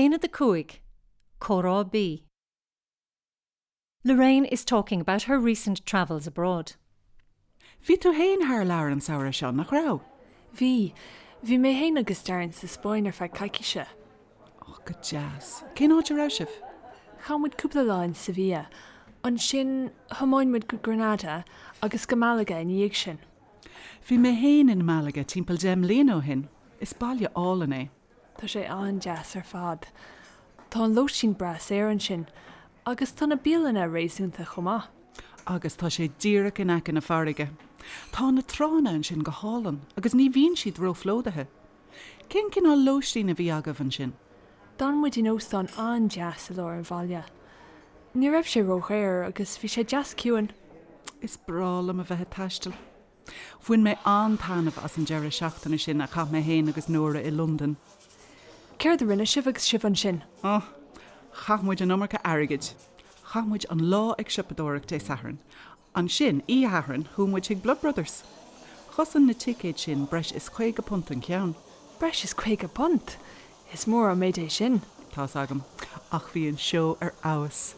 Aonad 5, Comhrá B. Lorraine is talking about her recent travels abroad. Bhí tú féin thar lear an samhradh seo, nach raibh? Bhí. Bhí mé féin agus Darren sa Spáinn ar feadh coicíse. Ó, go deas. Cén áit a raibh sibh? Chaith muid cúpla lá in Sevilla. Ansin, thiomáin muid go Granada agus go Malaga ina dhiaidh sin. Bhí mé féin in Malaga timpeall 10 mbliana ó shin. Is baile álainn é. Tá sé an-deas ar fad. Tá an lóistín breá saor ansin agus tá na bialanna réasúnta chomh maith. Agus tá sé díreach in aice na farraige. Tá na tránna ansin go hálainn agus ní bhíonn siad róphlódaithe. Cén cineál lóistín a bhí agaibh ansin? D'fhan muid in óstán an-deas i lár an bhaile. Ní raibh sé ródhaor agus bhí sé deas ciúin. Is breá liom a bheith ag taisteal. Bhain mé an-taitneamh as an deireadh seachtaine sin a chaith mé féin agus Nóra i Londain. Céard a rinne sibh agus sibh ansin? Oh, chaith muid an iomarca airgid. Chaith muid an lá ag siopadóireacht Dé Sathairn. Ansin, oíche Shathairn, chuaigh muid chuig Blood Brothers. Chosain na ticéid sin breis is £50 an ceann. Breis is £50? Is mór an méid é sin. Tá's agam. Ach bhí an seó ar fheabhas.